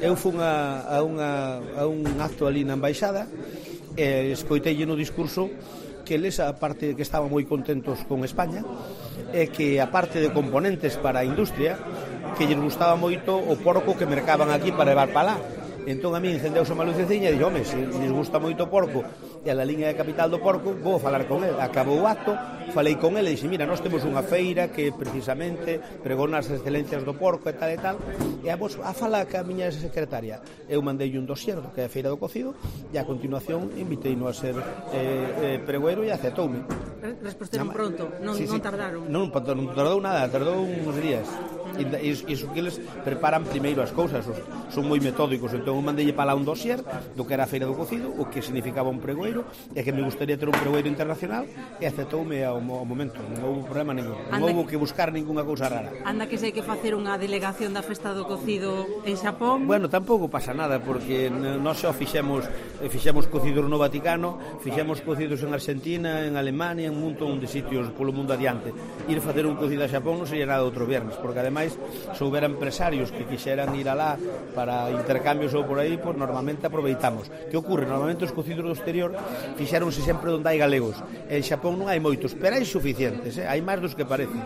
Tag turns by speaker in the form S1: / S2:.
S1: Eu fun a un acto ali na embaixada e escoiteille no discurso que eles, aparte de que estaban moi contentos con España, e que aparte de componentes para a industria, que lles gustaba moito o porco que mercaban aquí para levar para lá. Entón a mí encendeuse unha luceciña e dixo, home, se lles gusta moito o porco e a la liña de capital do porco, vou falar con ele. Acabou o acto, falei con ele e dixo, mira, nós temos unha feira que precisamente pregona as excelencias do porco e tal, e a vos, a fala que a miña secretaria. Eu mandei un dossier do que é a feira do cocido e a continuación inviteino a ser pregoeiro e aceptoume.
S2: Resposteron pronto, non tardaron.
S1: Non tardou nada, tardou uns días. E iso que eles preparan primeiro as cousas, son moi metódicos. Entón eu mandei para lá un dossier do que era a feira do cocido, o que significaba un pregoeiro e que me gustaría ter un pregoeiro internacional, e aceptoume ao momento, non houve problema ningún, non houve que buscar ninguna cousa rara.
S2: Anda que se hai que facer unha delegación da festa do cocido en Xapón.
S1: Bueno, tampouco pasa nada, porque nós xa fixemos cocidos no Vaticano, fixemos cocidos en Argentina, en Alemania, en un montón de sitios polo mundo adiante. Ir facer un cocido a Xapón non sería nada outro viernes, porque ademais se houbera empresarios que quixeran ir alá para intercambios ou por aí, pues normalmente aproveitamos. Que ocorre? Normalmente os cocidos do exterior fixéronse sempre onde hai galegos. En Xapón non hai moitos, pero hai suficientes, hai máis dos que parecen.